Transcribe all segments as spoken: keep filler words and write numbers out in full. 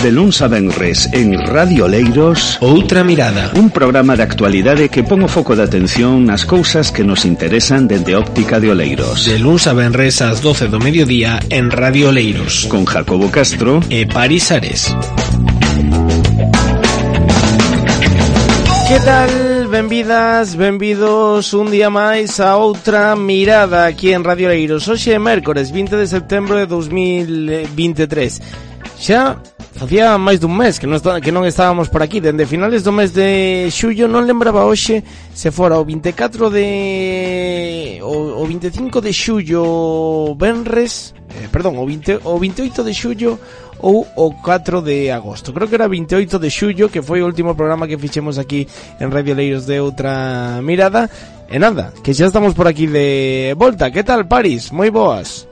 De luns a venres en Radio Oleiros, Outra Mirada, un programa de actualidade que pon o foco de atención nas cousas que nos interesan dende óptica de Oleiros. De luns a venres ás doce do mediodía en Radio Oleiros, con Jacobo Castro e Paris Ares. Que tal? Benvidas, benvidos un día máis a Outra Mirada aquí en Radio Oleiros. Hoxe é mércores vinte de setembro de dos mil vinte e tres. Xa facía máis dun mes que non, está, que non estábamos por aquí. Dende finales do mes de xullo, non lembraba hoxe se fora o vinte e catro de... o, o vinte e cinco de xullo venres, eh, perdón, o, vinte, o vinte e oito de xullo ou o catro de agosto. Creo que era vinte e oito de xullo, que foi o último programa que fixemos aquí en Radio Oleiros de Outra Mirada. E nada, que xa estamos por aquí de volta. Que tal, Paris? Moi boas.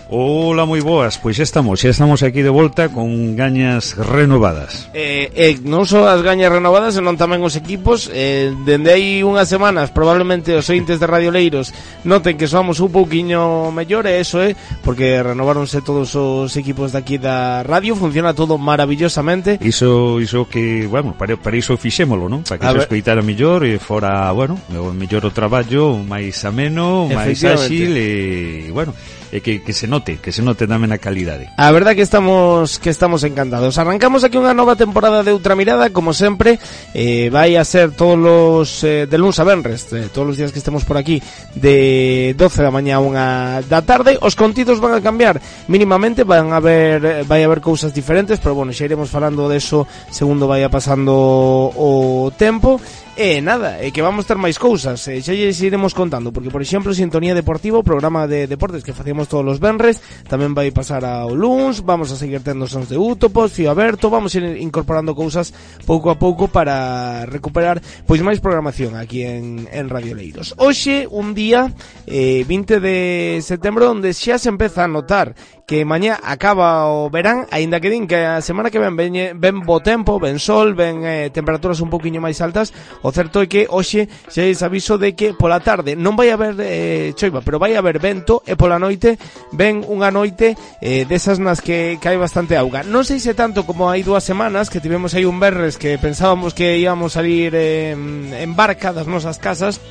Hola, moi boas, pois xa estamos, xa estamos aquí de volta con gañas renovadas. Eh, eh, non só as gañas renovadas, senón tamén os equipos. Eh, dende hai unhas semanas, probablemente os ointes de Radio Oleiros noten que somos un pouquiño mellor, e eso é porque renováronse todos os equipos de aquí da radio, funciona todo maravillosamente. Iso, iso que, bueno, para, para iso fixémolo, non? Para que se escoitara mellor e fora, bueno, mellor o traballo, máis ameno, máis áxil e, bueno, e que, que se note, que se note tamén a calidade. A verdad que estamos que estamos encantados. Arrancamos aquí unha nova temporada de Outra Mirada, como sempre, eh, vai a ser todos los eh, de luns a venres, eh, todos os días que estemos por aquí, de doce da mañá a unha da tarde. Os contidos van a cambiar mínimamente, van a haber vai a haber cousas diferentes, pero bueno, xa iremos falando de eso segundo vaya pasando o tempo. E nada, é que vamos ter máis cousas, e xa lles iremos contando, porque por exemplo Sintonía Deportiva, o programa de deportes que facemos todos os venres, tamén vai pasar ao luns. Vamos a seguir tendo sons de Útopos, Fío Aberto, vamos a ir incorporando cousas pouco a pouco para recuperar pois máis programación aquí en, en Radio Oleiros. Hoxe, un día eh, vinte de setembro, onde xa se empeza a notar que mañá acaba o verán, aínda que din que a semana que ven ven, ven bo tempo, ven sol, ven eh, temperaturas un pouquiño máis altas. O certo é que hoxe xa es aviso de que pola tarde non vai haber eh, choiva, pero vai haber vento, e pola noite ven unha noite eh, desas nas que, que hai bastante auga. Non sei se tanto como hai dúas semanas que tivemos aí un verres que pensábamos que íbamos salir eh, en barca das nosas casas,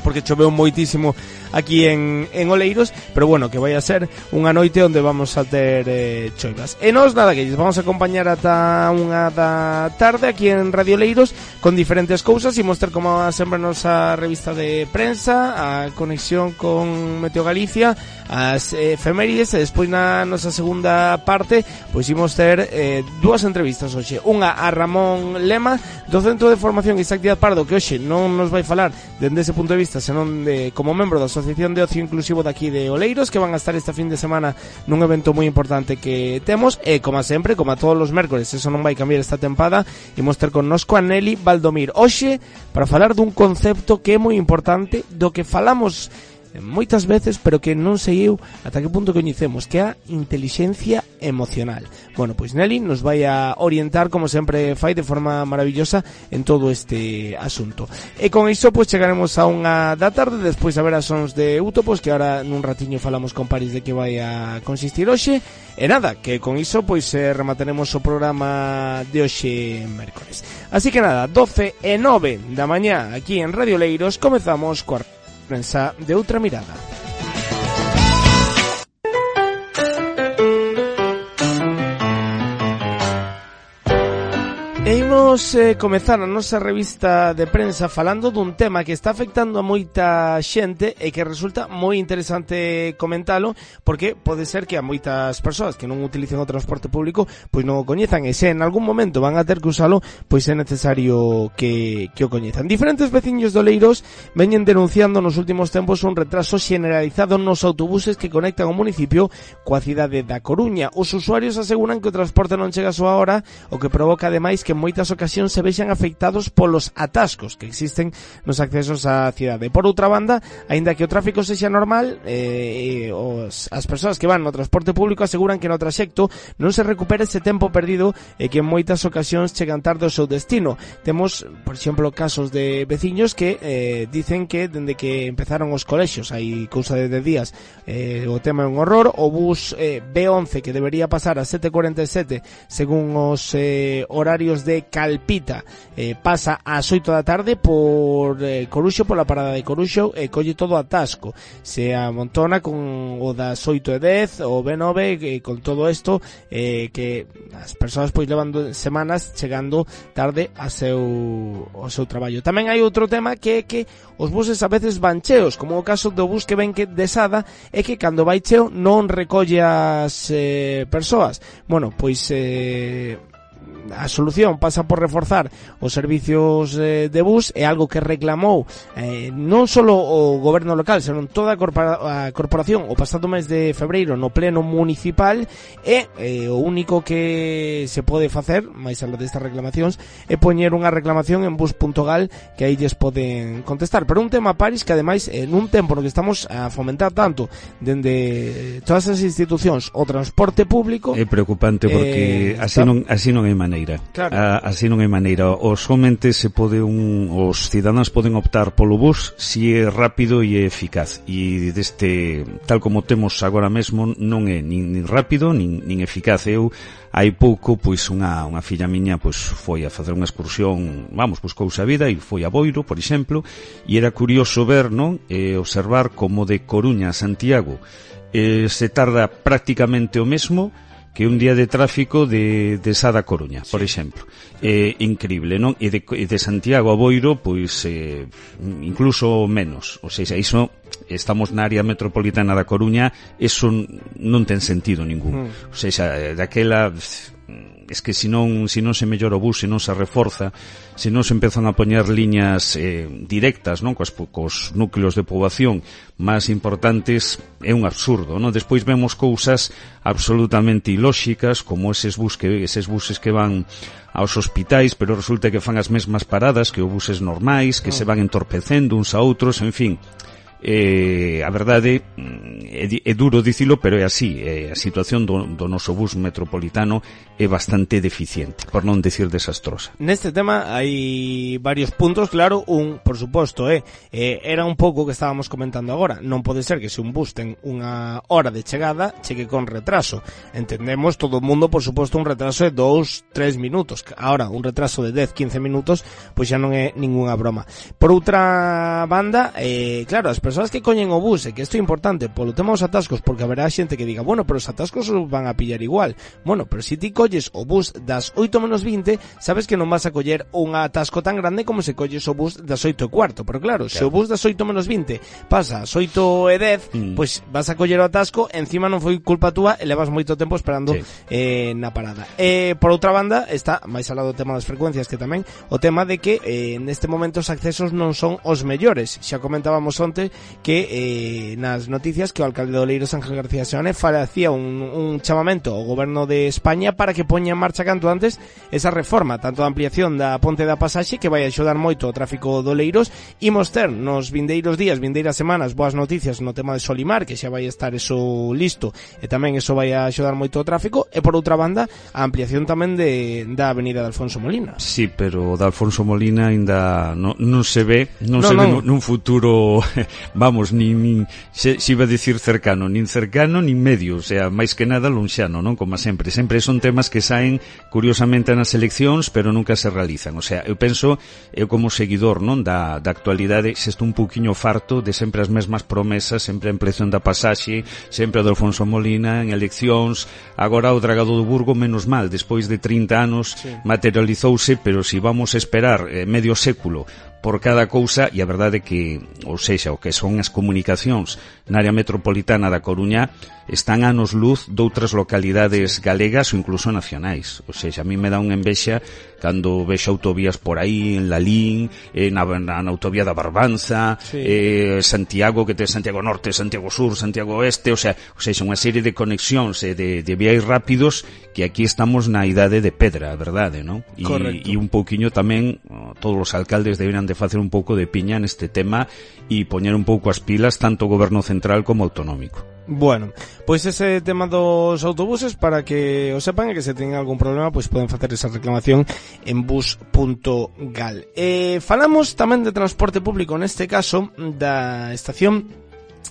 porque choveu moitísimo aquí en, en Oleiros, pero bueno, que vai a ser unha noite onde vamos a ter eh, choivas. E nos nada, que lles vamos a acompañar ata unha da tarde aquí en Radio Oleiros con diferentes cousas. Imos ter como sempre a nosa revista de prensa, a conexión con Meteo Galicia, as efemérides, e despois na nosa segunda parte pois imos ter eh, dúas entrevistas hoxe. Unha a Ramón Lema, do Centro de Formación Isaac Díaz Pardo, que hoxe non nos vai falar dende ese punto de vista, senón de, como membro da Asociación de Ocio Inclusivo daqui de Oleiros, que van a estar este fin de semana nun evento moi importante que temos. E como sempre, como a todos os mércores, eso non vai cambiar esta tempada, imos ter connosco a Nelly Valdomir hoxe para falar dun concepto que é moi importante, do que falamos moitas veces, pero que non sei eu ata que punto coñecemos, que é a intelixencia emocional. Bueno, pois Nelly nos vai a orientar, como sempre fai, de forma maravillosa en todo este asunto. E con iso pois chegaremos a unha da tarde, despois a ver as sons de Útopos, que ahora nun ratiño falamos con Paris de que vai a consistir hoxe. E nada, que con iso pois eh, remataremos o programa de hoxe mércores. Así que nada, doce e nove da mañá aquí en Radio Oleiros, comezamos coa prensa de Outra Mirada. E imos eh, comezar a nosa revista de prensa falando dun tema que está afectando a moita xente e que resulta moi interesante comentalo, porque pode ser que a moitas persoas que non utilicen o transporte público pois non o coñezan, e se en algún momento van a ter que usalo, pois é necesario que, que o coñezan. Diferentes veciños de Oleiros veñen denunciando nos últimos tempos un retraso generalizado nos autobuses que conectan o municipio coa cidade da Coruña. Os usuarios aseguran que o transporte non chega a súa hora, o que provoca ademais que en moitas ocasións ocasións se vexan afectados polos atascos que existen nos accesos á cidade. Por outra banda, aínda que o tráfico sexa normal, eh, os, as persoas que van no transporte público aseguran que no traxecto non se recupera ese tempo perdido e que en moitas ocasións chegan tarde ao seu destino. Temos, por exemplo, casos de veciños que eh, dicen que dende que empezaron os colexios, hai cousa de dez días, eh, o tema é un horror. O bus eh, B once que debería pasar a sete cuarenta e sete según os eh, horarios de Calpita, eh, pasa ás oito da tarde por eh, Coruxo, pola parada de Coruxo, e eh, colle todo atasco. Se amontona con o das oito e dez, o B nove, eh, con todo isto, eh, que as persoas pois levan semanas chegando tarde a seu, ao seu traballo. Tamén hai outro tema que é que os buses a veces van cheos, como o caso do bus que ven que de Sada, é que cando vai cheo non recolle as eh, persoas. Bueno, pois eh, a solución pasa por reforzar os servicios eh, de bus, é algo que reclamou eh, non só o goberno local, senón toda a, corpora, a corporación o pasado mes de febreiro no pleno municipal, e eh, o único que se pode facer, máis algo destas reclamacións, é poñer unha reclamación en bus punto gal que aí lles poden contestar. Pero un tema, Paris, que ademais en un tempo no que estamos a fomentar tanto dende todas as institucións o transporte público, é preocupante porque eh, así non así non hai maneira. Claro. A, así non hai maneira. O somente se pode un, os cidadáns poden optar polo bus si é rápido e é eficaz. E deste, tal como temos agora mesmo, non é nin, nin rápido nin, nin eficaz. Eu hai pouco, pois unha, unha filla miña pois foi a facer unha excursión, vamos, pois cousa vida, e foi a Boiro, por exemplo, e era curioso ver, non, e observar como de Coruña a Santiago eh, se tarda prácticamente o mesmo que un día de tráfico de, de Sada a Coruña, por exemplo. É eh, increíble, non? E de, de Santiago a Boiro, pois, eh, incluso menos. O sea, iso, estamos na área metropolitana da Coruña, eso non ten sentido ningún. Mm. O sea, daquela, es que se non, se non se mellora o bus, se non se reforza, se non se empezan a poñer liñas eh, directas, non, cos, cos núcleos de poboación máis importantes, é un absurdo, non? Despois vemos cousas absolutamente ilóxicas, como eses bus que, eses buses que van aos hospitais, pero resulta que fan as mesmas paradas que os buses normais, que mm. se van entorpecendo uns a outros, en fin. Eh, a verdade é, é duro dicilo, pero é así. Eh, a situación do, do noso bus metropolitano é bastante deficiente, por non decir desastrosa. Neste tema hai varios puntos, claro. Un, por suposto, é eh, era un pouco que estábamos comentando agora. Non pode ser que se un bus ten unha hora de chegada chegue con retraso. Entendemos todo o mundo, por suposto, un retraso de dous, tres minutos. Ahora, un retraso de dez, quince minutos, pois xa non é ninguna broma. Por outra banda, eh, claro, as persoas que coñen o bus, e que isto é importante polo tema dos atascos, porque haberá xente que diga, bueno, pero os atascos os van a pillar igual. Bueno, pero se ti colles o bus das oito menos vinte, sabes que non vas a coller un atasco tan grande como se colles o bus das oito e cuarto. Pero claro, claro, se o bus das oito menos vinte pasa ás oito e dez, mm. pois vas a coller o atasco, encima non foi culpa túa e levas moito tempo esperando sí. eh, na parada. Eh, por outra banda, está máis alado do tema das frecuencias, que tamén o tema de que eh, neste momento os accesos non son os mellores. Xa comentábamos onte que eh, nas noticias que o alcalde de Oleiros, Ángel García Seoane, facía un, un chamamento ao goberno de España para que poña en marcha canto antes esa reforma, tanto da ampliación da ponte da pasaxe, que vai axudar moito o tráfico de Oleiros. Imos ter nos vindeiros días, vindeiras semanas, boas noticias no tema de Solimar, que xa vai estar eso listo, e tamén eso vai axudar moito o tráfico. E por outra banda, a ampliación tamén de, da avenida de Alfonso Molina. Sí, pero da Alfonso Molina ainda non, non se ve, non no, se non. ve nun futuro, vamos, nin, nin se, se iba a decir cercano, nin cercano nin medio, o sea, máis que nada lonxano, non? Como sempre, sempre son temas que saen curiosamente nas eleccións, pero nunca se realizan. O sea, eu penso, eu como seguidor, non, da, da actualidade, se estou un pouquiño farto de sempre as mesmas promesas, sempre a ampliación da pasaxe, sempre a do Alfonso Molina en eleccións, agora o Dragado do Burgo, menos mal, despois de trinta anos sí. materializouse, pero se vamos a esperar eh, medio século por cada cousa, e a verdade que, ou sexa, o que son as comunicacións na área metropolitana da Coruña están a anos luz doutras localidades galegas ou incluso nacionais. Ou sexa, a mí me dá unha envexa cando vexo autovías por aí en Lalín, eh, na, na, na autovía da Barbanza, sí. eh, Santiago, que ten Santiago Norte, Santiago Sur, Santiago Oeste, o sea, ou sexa, unha serie de conexións e de, de viais rápidos que aquí estamos na idade de pedra, a verdade, non? E, e un pouquiño tamén, todos os alcaldes deberían de facer un pouco de piña neste tema e poñer un pouco as pilas tanto o goberno central como autonómico. Bueno, pois ese tema dos autobuses, para que o sepan e que se tenga algún problema, pois poden facer esa reclamación en bus punto gal. Eh, falamos tamén de transporte público, neste caso da estación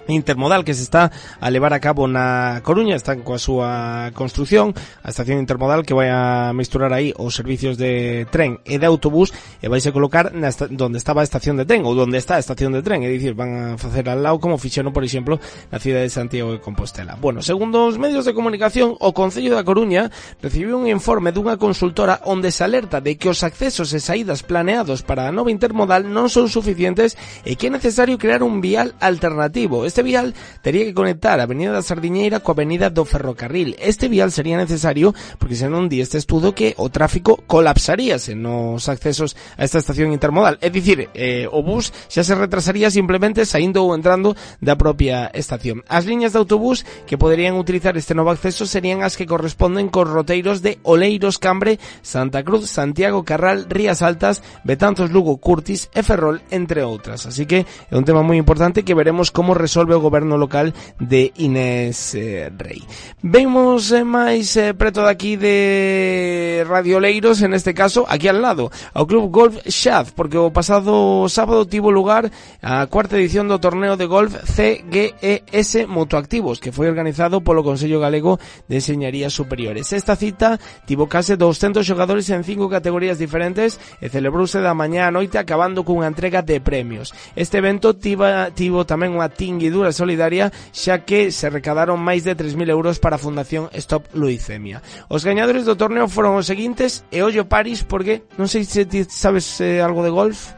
intermodal que se está a levar a cabo na Coruña. Están coa súa construción, a estación intermodal que vai a misturar aí os servicios de tren e de autobús e vais a colocar na esta, donde estaba a estación de tren ou donde está a estación de tren, é dicir, van a facer al lado como fixeron, por exemplo, na cidade de Santiago de Compostela. Bueno, segundo os medios de comunicación, o Concello da Coruña recibiu un informe dunha consultora onde se alerta de que os accesos e saídas planeados para a nova intermodal non son suficientes e que é necesario crear un vial alternativo. Este vial tería que conectar a Avenida da Sardiñeira coa Avenida do Ferrocarril. Este vial sería necesario porque senón di este estudo que o tráfico colapsaríase nos accesos a esta estación intermodal. É dicir, eh, o bus xa se retrasaría simplemente saindo ou entrando da propia estación. As liñas de autobús que poderían utilizar este novo acceso serían as que corresponden cos roteiros de Oleiros, Cambre, Santa Cruz, Santiago, Carral, Rías Altas, Betanzos, Lugo, Curtis e Ferrol, entre outras. Así que é un tema moi importante que veremos como resolve o goberno local de Inés eh, Rei. Vemos eh, máis eh, preto daqui de Radio Oleiros, en este caso, aquí al lado, ao Club Golf Xaz, porque o pasado sábado tivo lugar a cuarta edición do torneo de golf C G E S Motoactivos, que foi organizado polo Consello Galego de Enxeñarías Superiores. Esta cita tivo case doscentos xogadores en cinco categorías diferentes e celebrouse da mañá a noite acabando cunha entrega de premios. Este evento tiba, tivo tamén unha tinguidura solidaria, xa que se recadaron máis de tres mil euros para a Fundación Stop Leucemia. Os gañadores do torneo foron os seguintes, e ollo Paris, porque non sei se ti sabes eh, algo de golf.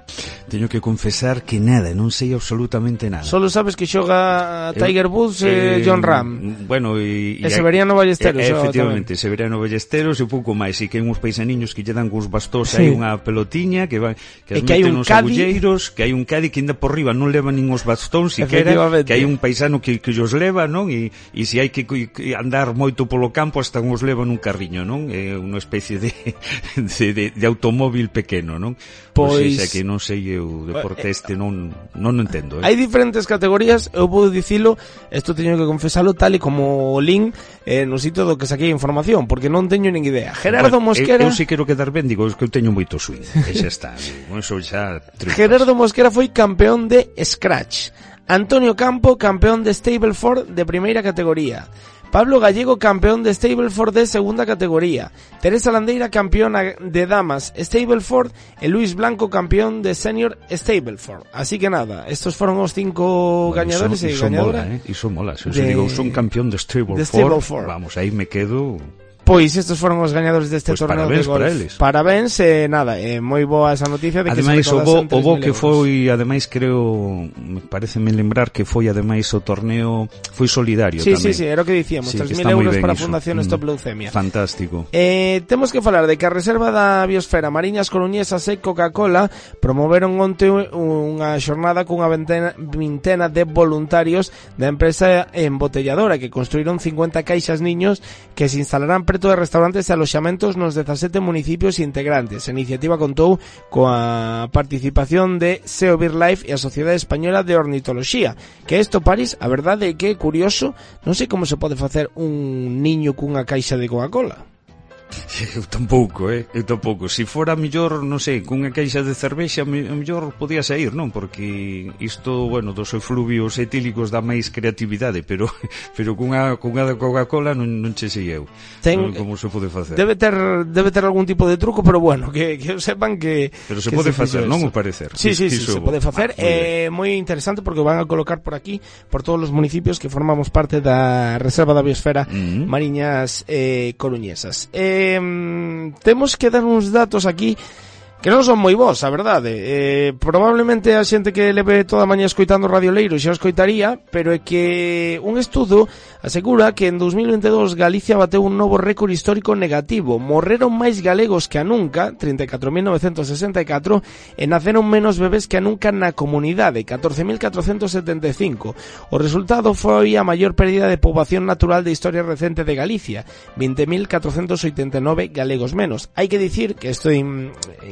Teño que confesar que nada, non sei absolutamente nada. Solo sabes que xoga Tiger Woods e eh, John Ram. Bueno, e, e, e Severiano Ballesteros. E, efectivamente, Severiano Ballesteros e pouco máis, e que hai uns paisaniños que lle dan cos bastóns, sí. Hai unha pelotiña que va que as meten nos agulleiros, que hai un cadi que ainda por riba non leva nin os bastóns siquera, que hai un paisano que, que os leva, non? E, e se hai que, que andar moito polo campo hasta os leva nun carriño, non? É unha especie de, de, de, de automóvil pequeno, non? Pois... Pois é que non sei eu, deporte este non non entendo, eh? Hai diferentes categorías, eu podo dicilo, isto teño que confesalo tal e como o link eh, no sitio do que saquei información, porque non teño nin idea. Gerardo bueno, Mosquera... Eu, eu si quero quedar ben, digo, que eu teño moito swing, e xa está, eso xa triunfas. Gerardo Mosquera foi campeón de Scratch. Antonio Campo, campeón de Stableford de primeira categoría. Pablo Gallego, campeón de Stableford de segunda categoría. Teresa Landeira, campeona de damas Stableford. E Luis Blanco, campeón de senior Stableford. Así que nada, estos fueron os cinco bueno, gañadores e gañadoras. Mola, eh? Iso mola, se de... digo, son campeón de Stableford, de Stableford. Vamos, aí me quedo... Pois estos foron os gañadores deste pues torneo de golf. Para eles. Parabéns, e eh, nada, é eh, moi boa esa noticia de que ademais, se o bo, o bo que foi, ademais creo, me pareceme lembrar que foi ademais o torneo foi solidario sí, tamén. Sí, sí, era o que dicíamos, sí, tres mil euros para a Fundación eso. Stop Leucemia. Fantástico. Eh, temos que falar de que a Reserva da Biosfera Mariñas Coruñesas e Coca-Cola promoveron onte unha xornada cunha vintena, vintena de voluntarios da empresa embotelladora que construíron cincuenta caixas niños que se instalarán preto de restaurantes e aloxamentos nos dezasete municipios integrantes. A iniciativa contou coa participación de SEO BirdLife e a Sociedade Española de Ornitoloxía. Que isto, París, a verdade é que é curioso, non sei como se pode facer un niño cunha caixa de Coca-Cola. Eu tampouco, eh? Eu tampouco. Se fora mellor, non sei, cunha caixa de cervexa, mellor podía sair, non? Porque isto, bueno, dos efluvios etílicos dá máis creatividade, pero pero cunha cunha de Coca-Cola non, non che sei eu. Ten, non, como se pode facer? Debe ter debe ter algún tipo de truco, pero bueno, que que sepan que Pero se que pode se facer, non o parecer. Sí, sí, sí, sí, se pode facer. É eh, moi interesante porque van a colocar por aquí por todos os municipios que formamos parte da Reserva da Biosfera uh-huh. Mariñas eh, Coruñesas. Eh, temos que dar uns datos aquí que non son moi vos, a verdade. Eh, probablemente a xente que leve toda a mañá escoitando Radio Leiro xa o escoitaría, pero é que un estudo asegura que en dos mil veintidós Galicia bateu un novo récord histórico negativo. Morreron máis galegos que a nunca, trinta e catro mil novecentos sesenta e catro, e naceron menos bebés que a nunca na comunidade, catorce mil catrocentos setenta e cinco. O resultado foi a maior pérdida de poboación natural de historia recente de Galicia, vinte mil catrocentos oitenta e nove galegos menos. Hai que dicir que isto é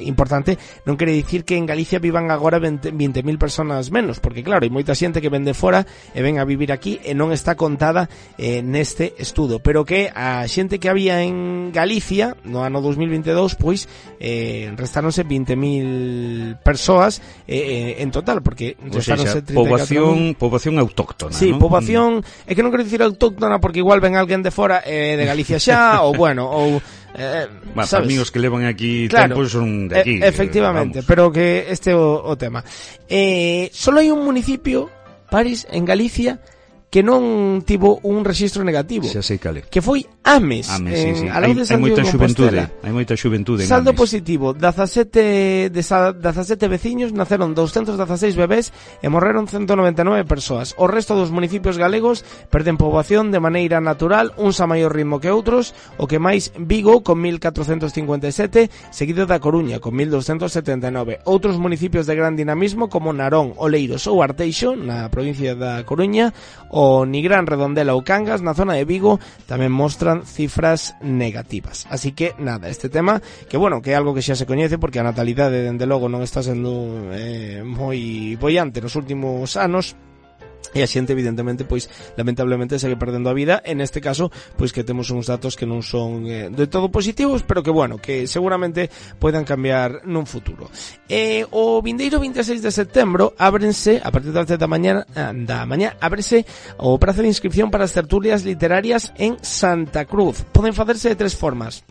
importante, non quere dicir que en Galicia vivan agora vinte mil personas menos, porque claro, hai moita xente que ven de fora e ven a vivir aquí e non está contada eh, neste estudo, pero que a xente que había en Galicia no ano dos mil veintidós, pois eh, restáronse vinte mil persoas eh, en total, porque restáronse trinta e catro mil. Poboación, poboación autóctona, sí, ¿no? Poboación, é que non quero dicir autóctona porque igual ven alguén de fora eh, de Galicia xa, ou bueno, ou Eh, bueno, para amigos que levan aquí claro, tempo son de aquí, e- efectivamente, vamos. pero que este é o, o tema. Eh, solo hai un municipio, París, en Galicia, que non tivo un rexistro negativo, xa sei cale, que foi Ames, Ames, en, sí, sí. a lado de hai, hai moita xuventude, Compostela. hai moita xuventude en Saldo Ames. positivo, dezasete de dezasete veciños, naceron doscientos dieciséis bebés e morreron ciento noventa e nove persoas. O resto dos municipios galegos perden poboación de maneira natural, uns a maior ritmo que outros, o que máis Vigo con mil catrocentos cincuenta e sete, seguido da Coruña con mil doscientos setenta e nove. Outros municipios de gran dinamismo como Narón, Oleiros ou Arteixo, na provincia da Coruña, o Nigrán, Redondela ou Cangas, na zona de Vigo, tamén mostran cifras negativas. Así que, nada, este tema, que bueno, que é algo que xa se coñece, porque a natalidade, dende logo, non está sendo eh, moi boiante nos últimos anos, e a xente evidentemente pois lamentablemente segue perdendo a vida, en este caso pois que temos uns datos que non son eh, de todo positivos, pero que bueno, que seguramente poidan cambiar nun futuro. Eh, o vindeiro vinte e seis de setembro ábrense, a partir das dez da mañá da mañá, ábrese o prazo de inscripción para as tertulias literarias en Santa Cruz. Poden facerse de tres formas: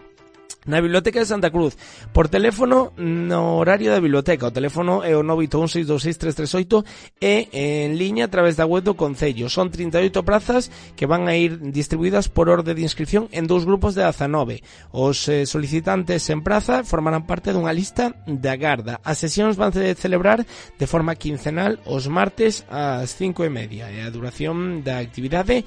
na Biblioteca de Santa Cruz, por teléfono no horario da biblioteca, o teléfono é o nove oito un seis dous seis tres tres oito, e en liña a través da web do Concello. Son trinta e oito prazas que van a ir distribuídas por orde de inscripción en dous grupos de dezanove. Os eh, solicitantes en praza formarán parte dunha lista de agarda. As sesións van a celebrar de forma quincenal os martes ás cinco e media, e a duración da actividade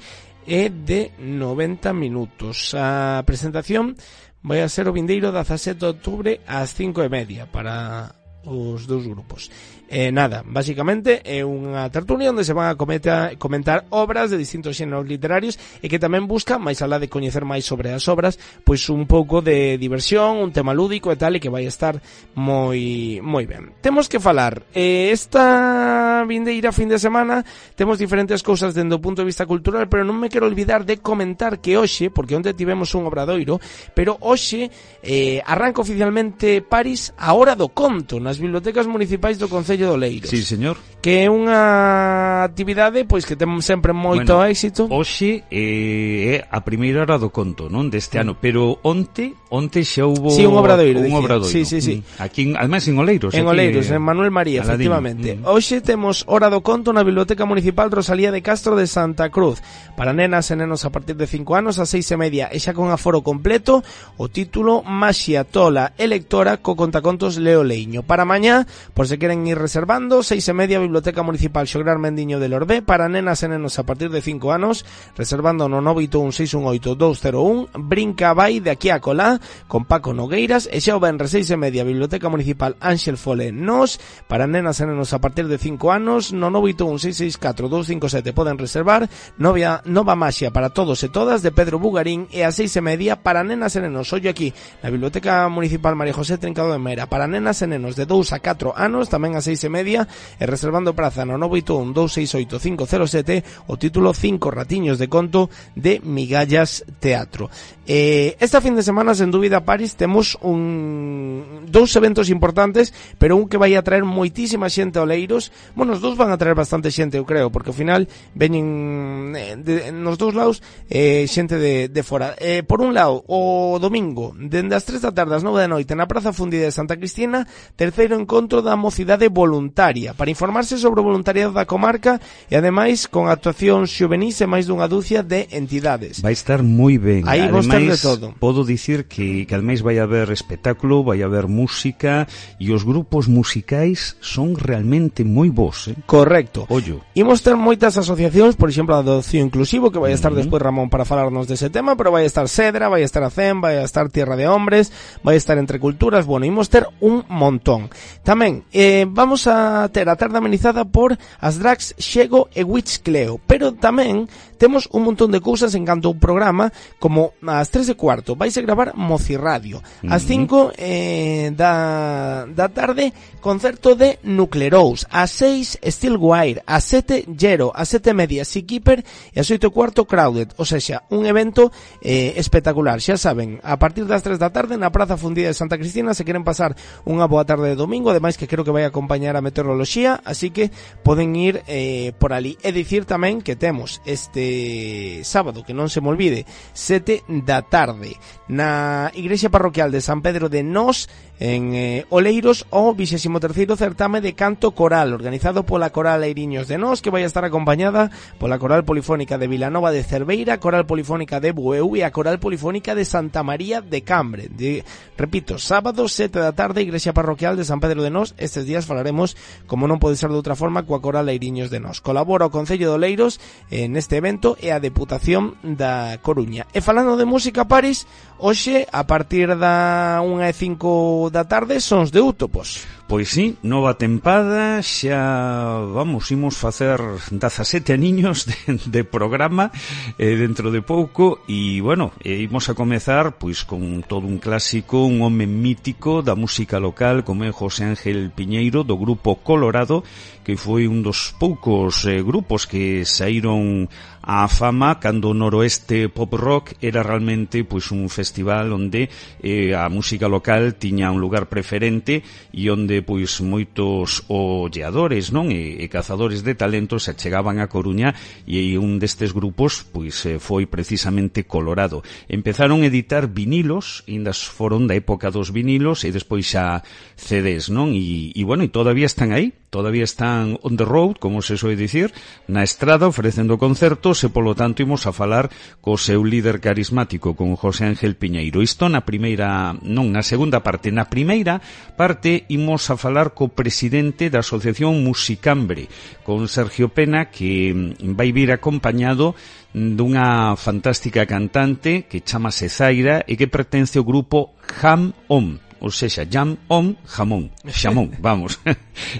é de noventa minutos. A presentación vai a ser o vindeiro dezasete de outubro ás cinco e media para os dous grupos. Eh, nada, basicamente é unha tertulia onde se van a comentar, comentar obras de distintos xéneros literarios e que tamén busca, máis alá de coñecer máis sobre as obras, pois un pouco de diversión, un tema lúdico e tal, e que vai estar moi moi ben. Temos que falar, eh, esta vindeira fin de semana temos diferentes cousas dende o punto de vista cultural, pero non me quero olvidar de comentar que hoxe, porque onde tivemos un obradoiro, pero hoxe eh, arranca oficialmente París a Hora do Conto nas bibliotecas municipais do Concello do Leiro. Sí, señor. Que é unha actividade pois que ten sempre moito bueno, éxito. Hoxe eh, é a primeira hora do conto, non, deste ano, pero onte, onte xa hubo sí, un obradoiro, un obradoiro. Sí, sí, sí. Aquí, además en Oleiros, en aquí, Oleiros, en Manuel María, Aladín. efectivamente. Mm. Hoxe temos Hora do Conto na Biblioteca Municipal Rosalía de Castro de Santa Cruz. Para nenas e nenos a partir de cinco anos a seis e media, e xa con aforo completo, o título Maxia Tola e lectora co contacontos Leo Leiño. Para mañá, por se queren ir reservando, seis e media, Biblioteca Municipal Xograr Mendiño de Lorbé, para nenas e nenos a partir de cinco anos, reservando no nove oito un seis un oito dous cero un, Brinca vai de aquí a colá, con Paco Nogueiras, e xa o venres seis e media, Biblioteca Municipal Ángel Fole Nos, para nenas e nenos a partir de cinco anos, no nove oito un seis seis catro dous cinco sete poden reservar, novia, Nova Maxia para todos e todas, de Pedro Bugarín, e a seis e media, para nenas e nenos, ollo aquí, na Biblioteca Municipal María José Trincado de Mera, para nenas e nenos de dous a catro anos, tamén a seis e media, e reservando praza no nove oito un dous seis oito cinco cero sete, o título Cinco ratiños de conto de Migallas Teatro. Eh, esta fin de semana, sen dúbida, París, temos un dous eventos importantes, pero un que vai a traer moitísima xente a Oleiros. Bueno, os dous van a traer bastante xente, eu creo, porque ao final veñen eh, de, nos dous lados eh, xente de, de fora. Eh, por un lado, o domingo, dende as tres da tarde ás nove da noite, na Praza Fundida de Santa Cristina, terceiro encontro da mocidade voluntaria. Para informarse clase sobre o voluntariado da comarca e ademais con actuación xuvenís e máis dunha dúcia de entidades. Vai estar moi ben. Aí vos ter de todo. Podo dicir que, que ademais vai haber espectáculo, vai haber música e os grupos musicais son realmente moi bons, eh? Correcto. Ollo. Imos ter moitas asociacións, por exemplo, a do Cio Inclusivo, que vai estar uh-huh. despois Ramón para falarnos dese tema, pero vai estar Cedra, vai estar a CEM, vai estar Tierra de Hombres, vai estar Entre Culturas, bueno, imos ter un montón. Tamén, eh, vamos a ter a tarde amenizada por as drags Xego e Witchcleo, pero tamén temos un montón de cousas en canto ao programa, como ás tres e cuarto vaise gravar Mocirradio, ás cinco eh, da, da tarde concerto de Nuclerous, ás seis Steelwire, ás sete Gero, ás sete e media Seakeeper e ás oito e cuarto Crowded, ou seja, un evento eh, espectacular. Xa saben, a partir das tres da tarde na Praza Fundida de Santa Cristina, se queren pasar unha boa tarde de domingo, ademais que creo que vai acompañar a meteoroloxía, así que poden ir eh, por ali. E dicir tamén que temos este sábado, que non se me olvide, sete da tarde na Igrexa Parroquial de San Pedro de Nós, en eh, Oleiros, o vixésimo terceiro certame de canto coral organizado pola Coral Eiriños de Nós, que vai estar acompañada pola Coral Polifónica de Vilanova de Cerveira, Coral Polifónica de Bueu e a Coral Polifónica de Santa María de Cambre. De, repito, sábado sete da tarde, Igrexa Parroquial de San Pedro de Nós. Estes días falaremos, como non pode ser de outra forma, coa Coral Eiriños de Nós. Colabora o Concello de Oleiros eh, neste evento e a Deputación da Coruña. E falando de música, Paris, hoxe, a partir da unha e cinco da tarde, Sons de Útopos. Pois sí, nova tempada, xa, vamos, imos facer dezasete aniños de, de programa eh, dentro de pouco, e, bueno, eh, imos a comezar, pois, con todo un clásico, un home mítico da música local, como é José Ángel Piñeiro, do grupo Colorado, que foi un dos poucos eh, grupos que saíron a fama cando o noroeste pop rock era realmente pois un festival onde eh, a música local tiña un lugar preferente e onde pois moitos olleadores, non, e, e cazadores de talentos se chegaban a Coruña, e un destes grupos pois eh, foi precisamente Colorado. Empezaron a editar vinilos, ainda foron da época dos vinilos e despois xa C Ds, non? E, e bueno, e todavía están aí, todavía están on the road, como se soe dicir, na estrada ofrecendo concertos, e polo tanto imos a falar co seu líder carismático, con José Ángel Piñeiro. Isto na primeira, non, na segunda parte. Na primeira parte imos a falar co presidente da Asociación Musicambre, con Sergio Pena, que vai vir acompañado dunha fantástica cantante que chamase Zaira e que pertence ao grupo Jam Om, ou seja, Jam Om Jamón, Xamón, vamos.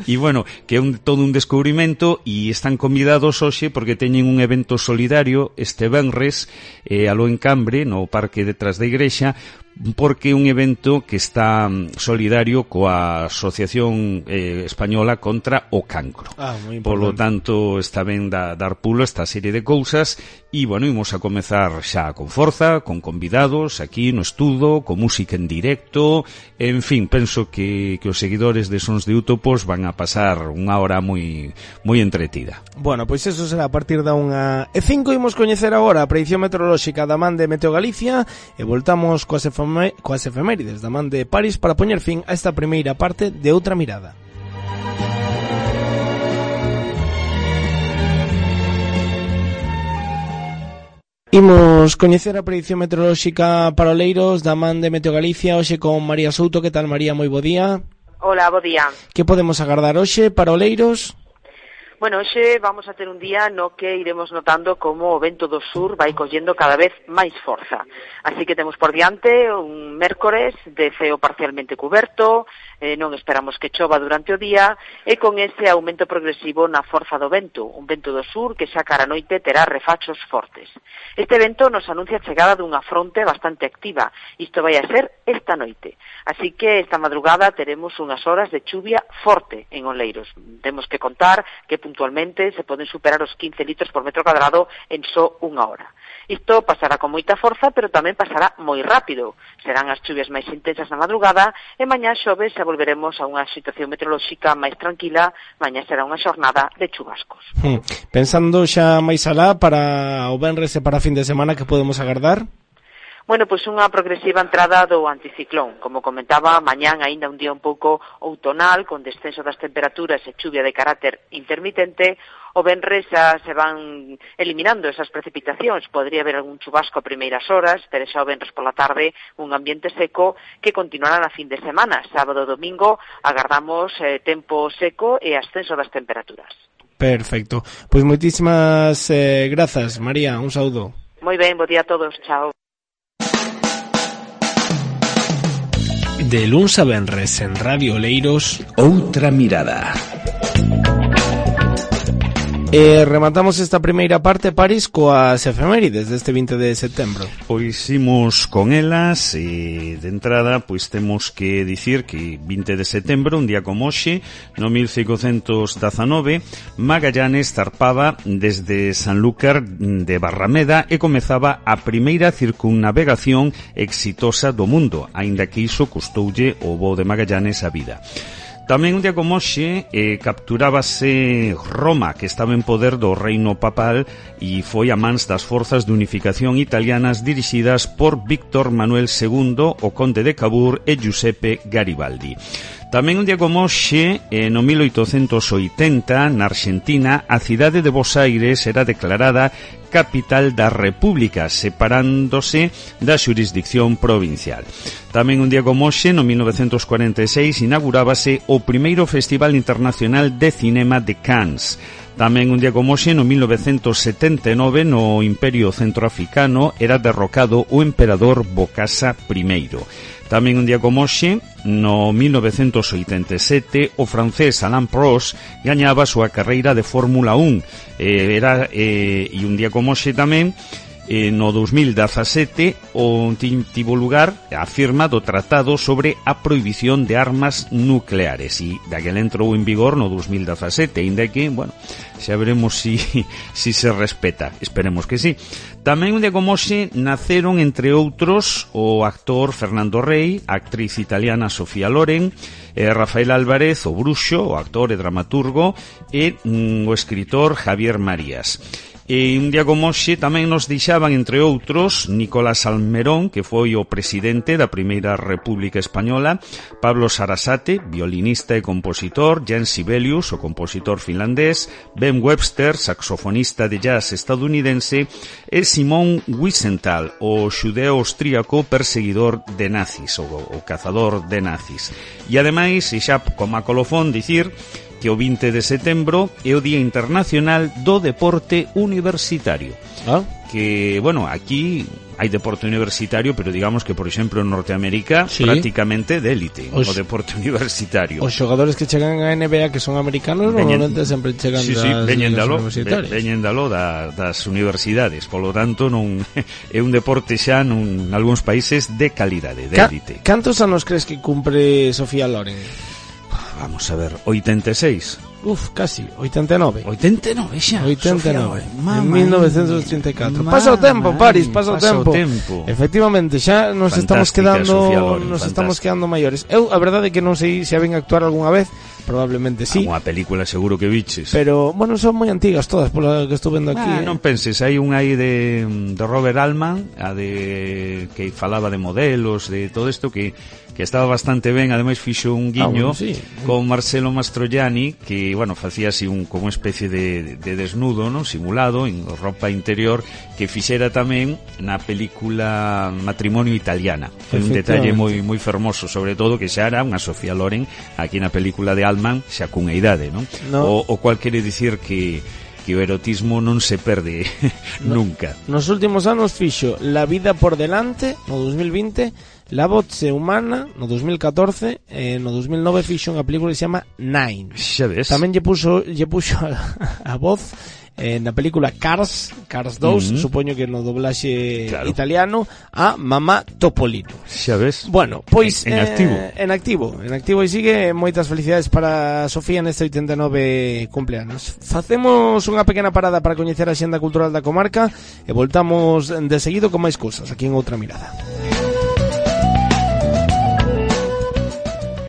E bueno, que é un, todo un descubrimento, e están convidados hoxe porque teñen un evento solidario este venres eh, aló en Cambre, no parque detrás da igrexa, porque é un evento que está solidario coa Asociación eh, Española contra o Cancro. Ah, polo tanto, está ben da, dar pulo esta serie de cousas, e, bueno, imos a comezar xa con forza, con convidados aquí no estudo, con música en directo, en fin, penso que, que os seguidores de Sons de Útopos van a pasar unha hora moi moi entretida. Bueno, pois eso será a partir da unha e cinco. Imos coñecer agora a predicción meteorolóxica da man de Meteo Galicia e voltamos coas efemérides coas efemérides da man de Paris para poñer fin a esta primeira parte de Outra Mirada. Imos coñecer a predicción meteorolóxica para Oleiros da man de Meteo Galicia, hoxe con María Souto. Que tal, María? Moi bo día. Hola, bo día. Que podemos agardar hoxe para Oleiros? Bueno, hoxe vamos a ter un día no que iremos notando como o vento do sur vai collendo cada vez máis forza. Así que temos por diante un mércores de ceo parcialmente cuberto, eh, non esperamos que chova durante o día, e con ese aumento progresivo na forza do vento, un vento do sur que xa cara a noite terá refachos fortes. Este vento nos anuncia a chegada dunha fronte bastante activa, isto vai a ser esta noite. Así que esta madrugada teremos unhas horas de chuvia forte en Oleiros. Temos que contar que puntualmente se poden superar os quince litros por metro cuadrado en só unha hora. Isto pasará con moita forza, pero tamén pasará moi rápido. Serán as chuvias máis intensas na madrugada e mañá xoves e volveremos a unha situación meteorolóxica máis tranquila. Mañá será unha xornada de chubascos. Hmm. Pensando xa máis alá para o venres e para a fin de semana, que podemos agardar? Bueno, pois unha progresiva entrada do anticiclón. Como comentaba, mañán aínda un día un pouco outonal, con descenso das temperaturas e chuvia de carácter intermitente. O venres xa se van eliminando esas precipitacións. Podría haber algún chubasco a primeiras horas, pero xa o venres pola tarde un ambiente seco que continuará na fin de semana. Sábado e domingo agardamos eh, tempo seco e ascenso das temperaturas. Perfecto. Pois moitísimas eh, grazas, María. Un saúdo. Moi ben, bo día a todos. Chao. De luns a venres en Radio Oleiros, Outra mirada. E rematamos esta primeira parte, Paris, coas efemérides deste vinte de setembro. Pois imos con elas e de entrada pois temos que dicir que vinte de setembro, un día como hoxe, no mil cincuentos dezanove, Magallanes zarpaba desde Sanlúcar de Barrameda e comezaba a primeira circunnavegación exitosa do mundo, aínda que iso custoulle o voo de Magallanes a vida. Tamén un día como hoxe eh, capturábase Roma, que estaba en poder do reino papal e foi a mans das forzas de unificación italianas dirixidas por Víctor Manuel segundo, o conde de Cavour e Giuseppe Garibaldi. Tamén un día como hoxe, eh, no mil oitocentos oitenta, na Argentina, a cidade de Bos Aires era declarada capital da República, separándose da xurisdicción provincial. Tamén un día como hoxe, no mil novecentos cuarenta e seis, inaugurábase o primeiro Festival Internacional de Cinema de Cannes. Tamén un día como hoxe, no mil novecentos setenta e nove, no Imperio Centroafricano, era derrocado o emperador Bokassa primeiro. Tamén un día como hoxe, no mil novecentos oitenta e sete, o francés Alain Prost gañaba a súa carreira de Fórmula un. Eh, era, eh, e un día como hoxe tamén, eh, no dos mil dezasete, o tivo lugar a firma do Tratado sobre a prohibición de armas nucleares, e daquela entrou en vigor no dos mil dezasete, ainda que, bueno, xa veremos si, si se respeta, esperemos que sí. Tamén un día como hoxe naceron, entre outros, o actor Fernando Rey, a actriz italiana Sofía Loren, eh, Rafael Álvarez, o bruxo, o actor e dramaturgo, e mm, o escritor Javier Marías. E un día como hoxe tamén nos deixaban, entre outros, Nicolás Almerón, que foi o presidente da Primeira República Española, Pablo Sarasate, violinista e compositor, Jan Sibelius, o compositor finlandés, Ben Webster, saxofonista de jazz estadounidense, e Simón Wiesenthal, o xudeo austríaco perseguidor de nazis, o, o cazador de nazis. E ademais, e xa como a colofón, dicir que o vinte de setembro é o Día Internacional do Deporte Universitario. Ah. Que, bueno, aquí hai deporte universitario, pero digamos que, por exemplo, en Norteamérica, sí, prácticamente de élite, os, o deporte universitario. Os xogadores que chegan a N B A que son americanos, veñen, normalmente sempre chegan sí, das sí, veñen dalo, universitarias. Veñen dalo da, das universidades, polo tanto, non é un deporte xa nun algúns países de calidade, de élite. Ca, cantos anos crees que cumpre Sofía Loren? Vamos a ver, oitenta e seis. Uf, casi, oitenta e nove. oitenta e nove xa. oitenta e nove. En mil novecientos ochenta e catro. Pasa o tempo, Paris, pasa o tempo. tempo. Efectivamente, xa nos Fantástica, estamos quedando Loren, nos fantástica. estamos quedando maiores. Eu a verdade é que non sei se a ven actuar algunha vez, probablemente sí. Unha película seguro que viches. Pero, bueno, son moi antigas todas, pola que estou vendo aquí. Ah, eh. Non penses, hai un aí de, de Robert Altman, a de que falaba de modelos, de todo isto que que estaba bastante ben, ademais fixo un guiño ah, bueno, sí. con Marcelo Mastroianni, que, bueno, facía así un, como unha especie de, de desnudo, ¿no? Simulado, en roupa interior, que fixera tamén na película Matrimonio Italiana. Foi un detalle moi moi fermoso, sobre todo que xa era unha Sofía Loren aquí na película de Altman, xa cunha idade, ¿no? no. O, o cual quere dicir que que o erotismo non se perde no, nunca. Nos últimos anos fixo La vida por delante, no dos mil vinte, La voce humana, no dos mil catorce, e no dos mil nove fixo unha película que se chama Nine. Xa ves. Tamén lle puxo, lle puxo a, a voz eh, na película Cars, Cars dos, uh-huh. supoño que no doblaxe claro. italiano, a Mamá Topolino. Xa ves. Bueno, pois en, en eh, activo. En activo, en activo e sigue. Moitas felicidades para Sofía neste oitenta e nove cumpleanos. Facemos unha pequena parada para coñecer a xenda cultural da comarca e voltamos de seguido con máis cousas aquí en Outra Mirada.